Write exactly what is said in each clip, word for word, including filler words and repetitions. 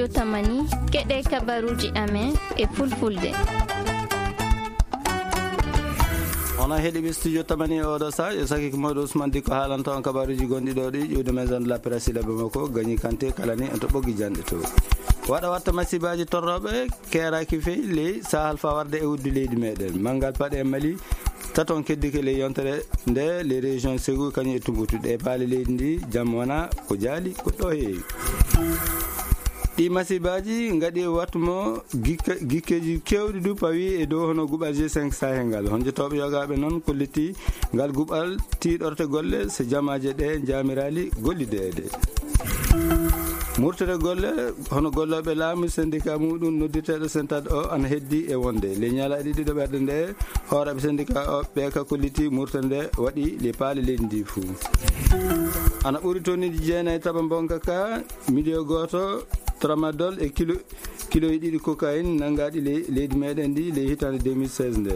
Tamani, keɗe kabaruji amen e fulfulde. Onon heɗiɓe studio Tamani e oɗo sa, e saki ko mawɗo Ousmane Dikko haalanta on kabaruji gonɗi ɗo ɗi, ƴuwde maison de la presse Labe Moko, Gagny Kanté, kala ni en to ɓoggi janɗe to. Waɗa watta masibaji torroɓe, keeraki fey ley Sahel fa warde e wuddu leydi meɗen. Mangal paɗe e Mali, taton keddike ley yontere nde, les régions Ségou kañum e Tombouctou. Ɗe paale leydi ndi, jam wona ko jaali, ko ɗo heewi. Ɗi masibaji ngaɗi wattu mo gikka-, gikkeji kewɗi du pawi e dow hono guɓal G cinq Sahel ngal. Honjotoɓe yogaɓe noon kolliti ngal guɓal tiiɗorte golle so jamaje ɗe jamirali gollideede. Murtere golle hono golloɓe laamu syndicat muɗum noddirteɗo Sentad o ana heddi e wonde. Ley ñalaaɗe ɗiɗo ɓerɗe nde, hooreɓe syndicat o ɓe ka kolliti murtere nde waɗi le paale leydi ndi fuu. Ana ɓuri tonneji jeenayi taba mbonka ka, miliyo gooto tramadol e kilo, kiloji ɗiɗi cocaïne nanngaɗi ley, leydi meɗen ndi ley hitande deux mille seize nde.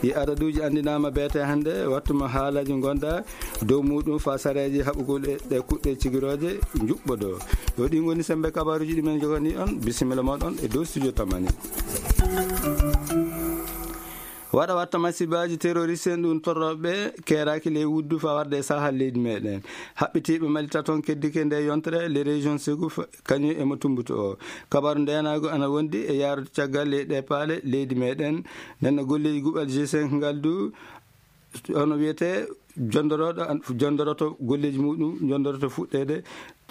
Ɗi adaduji anndinama beete hannde, wattuma haalaji gonda dow muɗum fa sareji haɓugol e ɗe kuɗɗe cigiroje njuɓɓodo. Yo ɗi ngoni sembe kabaruji ɗi men jogani on. Bisimilla moɗon e dow studio Tamani. Waɗa watta masibaji terroriste en ɗum torroɓe keeraki ley wuddu fa warde e Sahel leydi meɗen. Haɓɓitiɓe Mali taton keddike nde yontere, les régions Ségou fa-, kañum e mo Tombouctou o. Kabaru ndenago ana wondi e yaarude caggal ley ɗe paale leydi meɗen. Nden no golleji guɓal G cinq ngal du, hono wiyete, jondoroɗo an-, jondoroto golleji muɗum, jondoroto fuɗɗede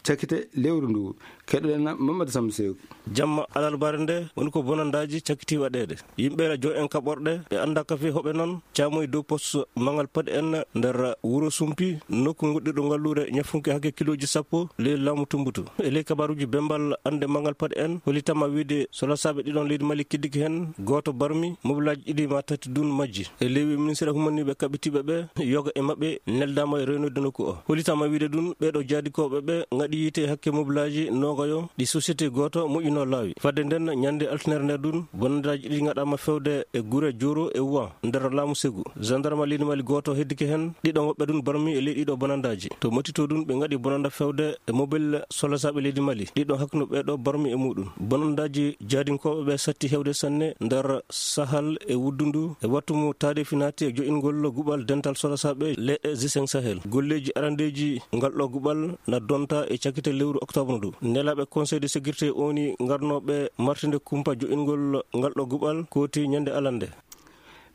cakite lewru ndu. Keɗoɗen Mamadou Samba Seeku. Jamma alarbaare nde woni ko bonandaji cakkiti waɗede. Yimɓe ena jo en kaɓorɗe, ɓe annda kafe hoɓe noon, caamoy dow poste Mangal Paɗi en nder wuro Sumpi, nokku goɗɗirɗo ngalluure ñafunke hakke kiloji sappo, ley laamu Tumbutu. E ley kabaruji Bembal ande Mangal Paɗi en, holitama wiide solasaaɓe ɗiɗon leydi Mali kiddiki hen, gooto barmi, mobilaji ɗiɗi ma tati dun majji. E ley ministre humaniɓe kaɓitiɓe ɓe, yoga e maɓɓe neldama e renoyde nokku o. Holitama wiide dun, ɓeɗo jaadikooɓe ɓe ngaɗi yiite hakke mobilaji noogayo ɗi société gooto moƴƴino laawi. Fadde nden, ñande altinere nde dun, bonandaji ɗi ngaɗama fewde e gure Joro e Wuwa nder laamu Segu. Gendarme leydi Mali gooto heddike hen, ɗiɗo maɓɓe dun barmi e ley ɗiɗo bonandaji. To Matito dun, ɓe ngaɗi bonanda fewde e mobile solasaaɓe leydi Mali. Ɗiɗo hakkunde ɓeɗo barmi e muɗum. Bonandaji jaadinkooɓe ɓe satti hewde sanne nder Sahel e wuddu ndu, e wattu mo taade finati e jo'ingol guɓal dental solasaaɓe ley G cinq Sahel. Golleji arandeji ngal ɗo guɓal na donta e cakite lewru octobre ndu. Nelaɓe Conseil de sécurité oni ngarnoɓe martinde kumpa jo'ingol ngal ɗo guɓal kooti ñande alande.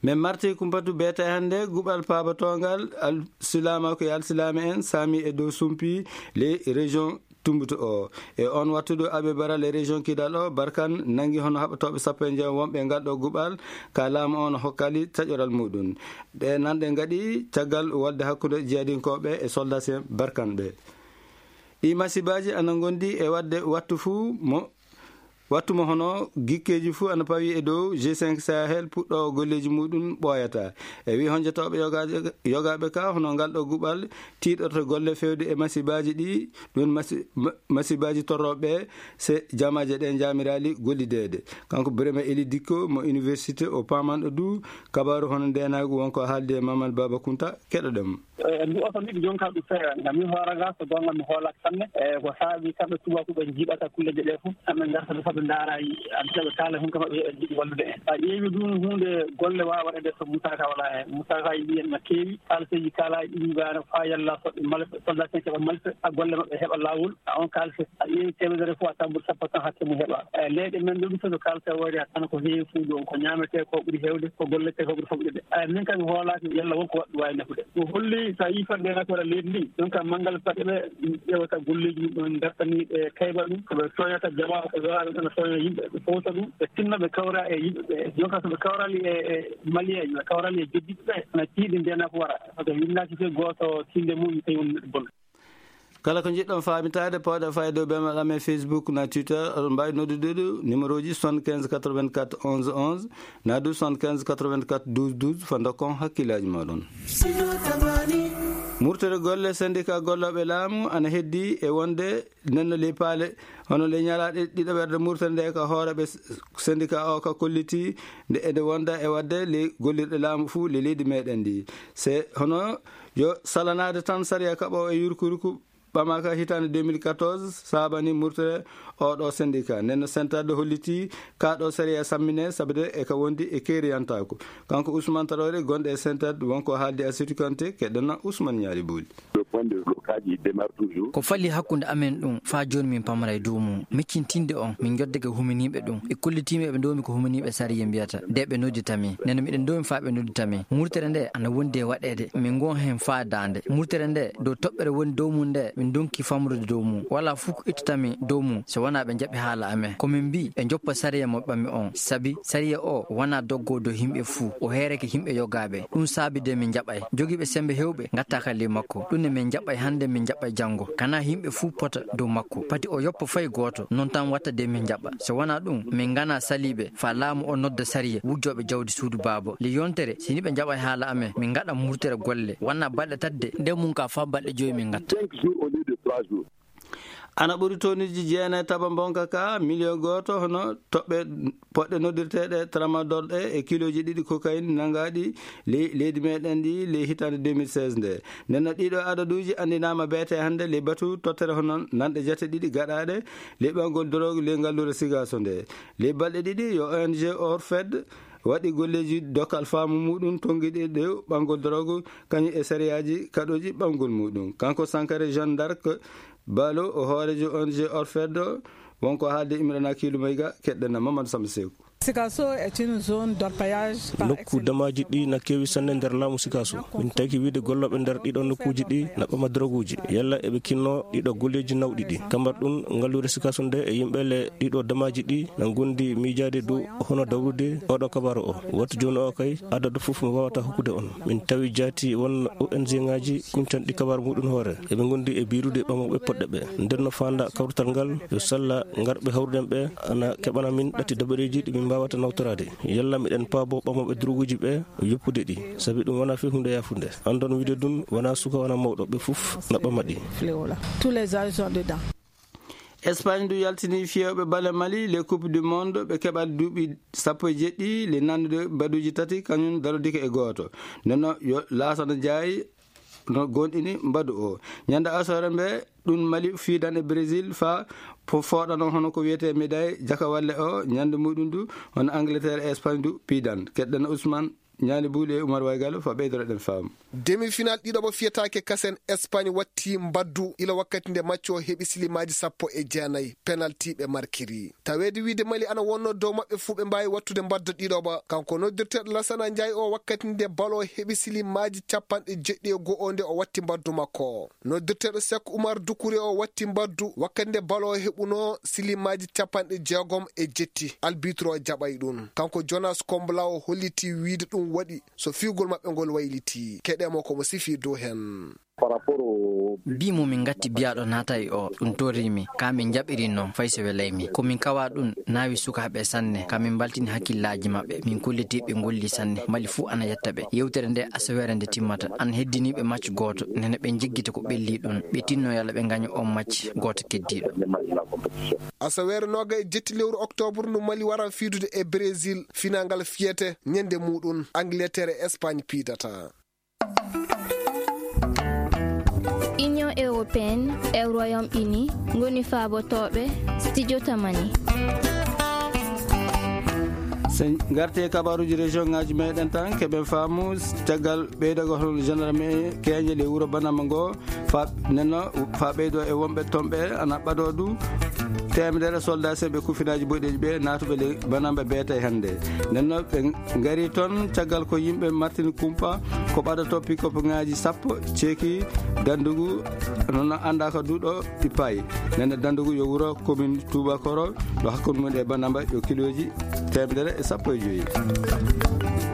Min marti kumpatu beete hannde guɓal paabatongal al-, silaama ko e alsilaame en saami e dow Sumpi, les régions Tumbutu o. E on wattudu Abe Bara, les régions Kidal o, Barkan nangi hono haɓatooɓe sappo e njeego wonɓe e ngal ɗo guɓal, ka laamu on hokkali taƴoral muɗum. Ɗe nanɗe ngaɗi caggal wolde hakkunde jihadinkooɓe e soldats en Barkan ɓe. Ɗi masibaaji ana ngondi e waɗde wattu fuu mo, wattu mo hono gikkeeji fuu ana pawi e dow G cinq Sahel puɗɗo golleeji muɗum ɓooyata. E wi honjotooɓe yogaaɓe, yogaaɓe ka hono ngal ɗo guɓal tiiɗorto golle fewde e masibaaji ɗi, ɗum masi-, ma-, masibaaji torrooɓe se jamaaje ɗe jaamiraali gollideede. Kanko Birame Eli Dikko mo université o pamanɗo du kabaru hono ndenaagu wonko haalde e Mamadou Baba Kunta, keɗoɗen mo. E, ndu oto ndu jonka ɗum feere, ngam min hoore ga, so goonga mi hoolaaka sanne. E, ko saabi kamɓe tubaaku ɓe njiɗata kulleeje ɗe fof, kamɓe ngarta ɗo, kamɓe ndaara, yi-, an, ɓe kaala, hun kam, ɓe njiɗi wallude en. A ƴeewi ɗum, huunde golle waawa waɗeede so Moussa Ka wala heen. Moussa Ka yiɗi en no keewi, kaalseeji kaalaaɗi ɗum gaano faa yalla soɓe malfe, soldat en keɓa malfe, a golle maɓɓe heɓa laawol, a on kaalse, a ƴeewi teemedere fof, a tambo sappo tan hakke mum heɓa. E, leyɗe men ɗo ɗum fof no kaalse waɗi, a tan ko heewi fof ɗum, ko ñaametee ko ɓuri heewde, ko golletee ko ɓuri famɗude. Ay, min kam mi hoolaaki yalla won ko waɗɗum waawi nafude. Ko holli so a yii fadde nafoore leydi ndi, donc manngal paɗe ɓe ƴeewata golleeji mum ɗon, ngartani ɓe kayba ɗum, ko ɓe tooñata jamaa, ko ɓe waɗa ɗum, tooña yimɓe, ɓe fowta ɗum, ɓe tinna ɓe kawra e yimɓe ɓe. Donc so ɓe kawrali e, e Malien, ɓe kawrali e jeddiɓe ɓe, na tiiɗi nde nafoore. Parce que winnaaki fof gooto tinde mum tawi won neɗɗo bonɗo. Kala ko njiɗɗon faamitaade, pooɗa fayde dow bemel amen Facebook na Twitter, oɗon mbaawi noddude ɗo numéro ji soixante-quinze quatre-vingt-quatre onze onze, na du soixante-quinze quatre-vingt-quatre douze douze, fa ndokkon hakkillaaji mooɗon. Murtere golle syndicat gollooɓe laamu ana heddi e wonde nenno ley paale, hono ley ñalaaɗe ɗiɗaɓerde murtere nde ka hooreɓe s-, syndicat o ka kolliti nde ede wonda e wadde ley gollirɗe laamu fuu ley leydi meɗen ndi. Se hono yo salanaade tan sariya kaɓo e yurkuruku Ɓamaaka hitaande deux mille quatorze, saabani murtere oɗo syndicat. Nden no Sentad holliti ka ɗo sariya sammine, sabude e ka wondi e keeriyantaako. Kanko Ousmane Traoré, gonɗo e Sentad, wonko haaldi Asitu Kante, keɗɗana Ousmane Ñaali Booli. Le point de blocage, il demeure toujours. Ko fali hakkunde amen ɗum, faa jooni min pamara e dow mum. Miccintinde on, min njoddake huminiiɓe ɗum. E kollitiimi eɓe ndoomi ko huminiiɓe sariya mbiyata, de ɓe noddita min. Nden no miɗen ndoomi faa ɓe noddita min. Murtere nde ana wondi e waɗeede, min ngon heen faa daande. Murtere nde, dow toɓɓere woni dow mum nde, min ndonki famrude dow mum. Walaa fuu ko ittata min dow mum, so wanaa ɓe njaɓi haala amen. Ko min mbii, ɓe njoppa sariya mo ɓami on. Sabi sariya o wanaa doggo dow yimɓe fuu, o heerake yimɓe yogaaɓe. Ɗum saabi de min njaɓay. Jogiiɓe semmbe heewɓe ngatta ka ley makko. Ɗum ne min njaɓay hannde, min njaɓay janngo. Kanaa yimɓe fuu pota dow makko. Pati o yoppa fay gooto, non tan watta de min njaɓa. So wanaa ɗum, min nganaa saliiɓe, faa laamu o nodda sariya wujjooɓe jawdi suudu baaba. Ley yontere, si ni ɓe njaɓay haala amen, min ngaɗa murtere golle. Wanaa balɗe tati de, nden mum ka faa balɗe joyi min ngatta. Cinq jours au lieu de trois jours. Ana ɓuri tonneji jeenayi taba mbonka ka, miliyon gooto, hono toɓɓe poɗɗe noddirteeɗe tramadol ɗe e kilooji ɗiɗi cocaïne nangaaɗi ley leydi meɗen ndi ley hitaande deux mille seize nde. Nden no ɗiɗo adaduuji anndinaama beete hannde ley batu tottere hono nanɗe jate ɗiɗi gaɗaaɗe ley ɓanngol drogue ley ngalluure Sigaaso nde. Ley balɗe ɗiɗi yo O N G Orfed waɗi golleeji dokkal faamu muɗum tonngiɗi dow ɓanngol drogue kañum e sariyaaji kaɗooji ɓanngol muɗum. Kanko Sankare Jeanne d'Arc Balo, o hooreejo O N G Orfed, wonko haalde Imrana Kiilu Mayga, keɗɗana Mamadou Samba Seeku. Sikasso est une zone d'orpaillage par Nokku excellence. Damaaji ɗi na keewi sanne nder laamu Sikasso. Min taki wiide gollooɓe nder ɗiɗo nokkuuji ɗi na ɓama droguuji. Yalla eɓe kinno ɗiɗo golleeji nawɗi ɗi. Kamar ɗum ngalluure Sikasso nde e yimɓe le ɗiɗo damaaji ɗi na ngondi miijaade dow hono dawrude oɗo kabaru o. Wattu jooni o kay, adadu fof mi waawata hokkude on. Min tawi jaati won O N G ŋaaji kuñtanɗi kabaru muɗum hoore. Eɓe ngondi e biirude ɓamooɓe poɗɗe ɓe. Nder no faanda kawrital ngal, yo salla ngarɓe hawruden ɓe, ana keɓana min ɗatti dabareeji ɗi min mbaawata nawtoraade. Yalla miɗen paabo ɓamooɓe droguuji ɓe yoppude ɗi. Sabi ɗum wonaa fii huunde yaafunde. Andon wiide ɗum wonaa suka, wonaa mawɗo, ɓe fof na ɓama ɗi. Fléau là. Tous les âges sont dedans. Espagne du yaltini fiyooɓe bale Mali le Coupe du Monde ɓe keɓal duuɓi sappo e jeɗɗi le nandude mbaduuji tati kañum darodike e gooto. Nden no yo Laasana Njaay no gonɗini mbadu o. Ñande asoore mbe ɗum Mali fiidan e Brésil fa po fooɗano hono ko wiyetee médaille jakawalle o ñande muɗum du hono Angleterre e Espagne du piidan. Keɗɗen Ousmane Ñaali Buuli e Umar Waygal fa ɓeydoroɗen faamu. Demi-final ɗiɗo mo fiyetaake kasen Espagne watti mbaddu ila wakkati nde macco heɓi silimaaji sappo e jeenayi penalti ɓe markiri. Taweede wiide Mali ana wonno dow maɓɓe fuu ɓe mbaawi wattude mbaddu ɗiɗo ba. Kanko noddirteeɗo Lasana Njaay o wakkati nde balo heɓi silimaaji capanɗe jeɗɗi e go'o nde o watti mbaddu makko. Noddirteeɗo Seck Oumar Doucouré o watti mbaddu wakkati nde balo heɓuno silimaaji capanɗe jeegom e jetti. Albitro jaɓay ɗum. Kanko Jonas Kombla o holliti wiide ɗum waɗi so fiigol maɓɓe ngol wayliti. Keɗemo ko mo sifi dow hen. Par rapport au Mbii mo min ngatti biyaaɗo naata e o, ɗum torri mi, ka min jaɓiri noon, fay so welay mi. Ko min kawa ɗum, naawi sukaaɓe sanne, ka min mbaltini hakkillaaji maɓɓe, min kolliti ɓe ngolli sanne, Mali fuu ana yetta ɓe. Yewtere nde asaweere nde timmata, ana heddini ɓe match gooto, nene ɓe njiggita ko ɓelli ɗum, ɓe tinno yalla ɓe ngaña on match gooto keddiiɗo. Asaweere nooga e jetti lewru octobre ndu Mali wara fiidude e Brésil, finaa ngal fiyete ñande muɗum, Angleterre e Espagne piidata. Union européenne e Royaume-Uni ngoni faabotooɓe studio Tamani. So ngartee kabaruuji région ŋaaji meɗen tan, keɓen faamu caggal ɓeydagol hono gendarme keeñe le wuro Banama ngo, fa nenno fa ɓeydo e wonɓe ton ɓe ana ɓado du temedere soldat seɓe kufinaaji boɗeeji ɓe naatuɓe le Banama ɓe beete hannde. Nenno ɓe ngari toon caggal ko yimɓe martini kumpa ko ɓaɗoto pick-up ŋaaji sappo ceeki Dandugu, noon anndaaka duuɗo ɗi paayi. Nene Dandugu yo wuro commune Touba Koro, ɗo hakkunde mum e Banamba yo kiloji teemedere e sappo e joyi.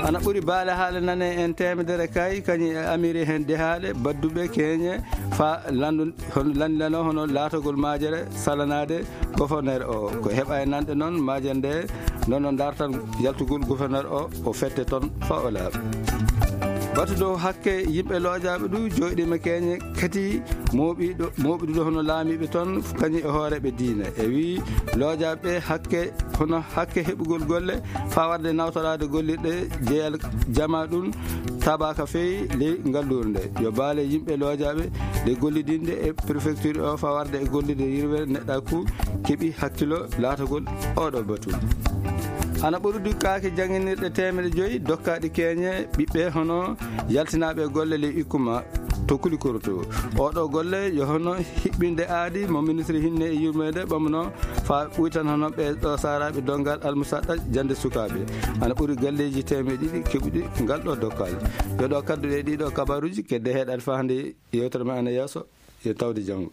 Ana ɓuri baale haale nane en teemedere kay, kañum e amiri heen dehaale, badduɓe keeñe, fa landu-, hono lanndilano hono laatogol maajere salanaade gouverneur o. Ko heɓa e nanɗe noon, maajere nde noon no dartan yaltugol gouverneur o, o fette toon fa o laaɓa. Batu dow hakke yimɓe loojaaɓe ɗu jooɗiima keeñe kadi mooɓiiɗo mooɓiɗuɗo hono laamiiɓe toon, kañum e hooreeɓe diine. E wii loojaaɓe hakke hono hakke heɓugol golle faa warde nawtoraade gollirɗe jeyal jama ɗum tabaaka feewi ley ngalluure nde. Yo baale yimɓe loojaaɓe nde gollidinde e préfecture o faa warde e gollirde yirwere neɗɗaaku keɓi hakkilo laatagol oɗo batu. Ana ɓuri dukkaaki jannginirɗe teemedde joyi dokkaaɗi keeñe ɓiɓɓe hono yaltinaaɓe golle ley ikkuma to Kulikoro to. Oɗo golle yo hono hiɓɓinde aadi mo ministre hinne e yurmeende ɓamno faa ɓuytan hono ɓe ɗo saaraaɓe donngal almusaɗɗa jannde sukaaɓe. Ana ɓuri galleeji teemedde ɗiɗi keɓuɗi ngal ɗo dokkaali. Yo ɗo kaddu ɗe ɗiɗo kabaruuji kedde heɗaade faa hannde yewtere men ana yeeso. Yo tawde janngo.